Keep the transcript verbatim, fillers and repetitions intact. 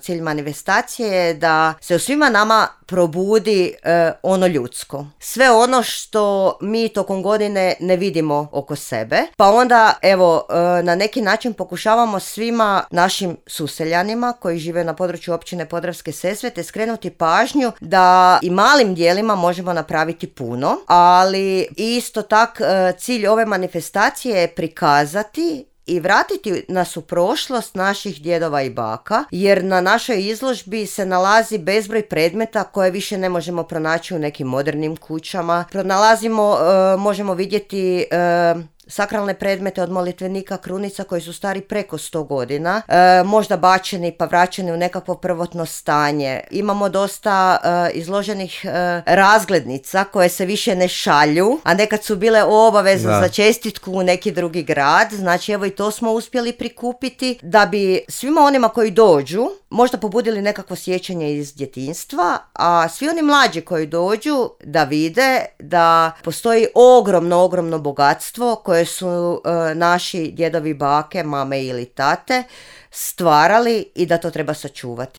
cilj manifestacije je da se u svima nama probudi e, ono ljudsko. Sve ono što mi tokom godine ne vidimo oko sebe. Pa onda, evo, e, na neki način pokušavamo svima našim suseljanima koji žive na području općine Podravske Sesvete skrenuti pažnju da i malim dijelima možemo napraviti puno, ali isto tak e, cilj ove manifestacije je prikazati i vratiti nas u prošlost naših djedova i baka, jer na našoj izložbi se nalazi bezbroj predmeta koje više ne možemo pronaći u nekim modernim kućama. Pronalazimo, e, možemo vidjeti e, sakralne predmete od molitvenika krunica koji su stari preko sto godina, e, možda bačeni pa vraćeni u nekakvo prvotno stanje. Imamo dosta e, izloženih e, razglednica koje se više ne šalju, a nekad su bile obavezne za čestitku u neki drugi grad. Znači evo i to smo uspjeli prikupiti da bi svima onima koji dođu možda pobudili nekakvo sjećanje iz djetinjstva, a svi oni mlađi koji dođu da vide da postoji ogromno, ogromno bogatstvo koje su e, naši djedovi, bake, mame ili tate stvarali i da to treba sačuvati.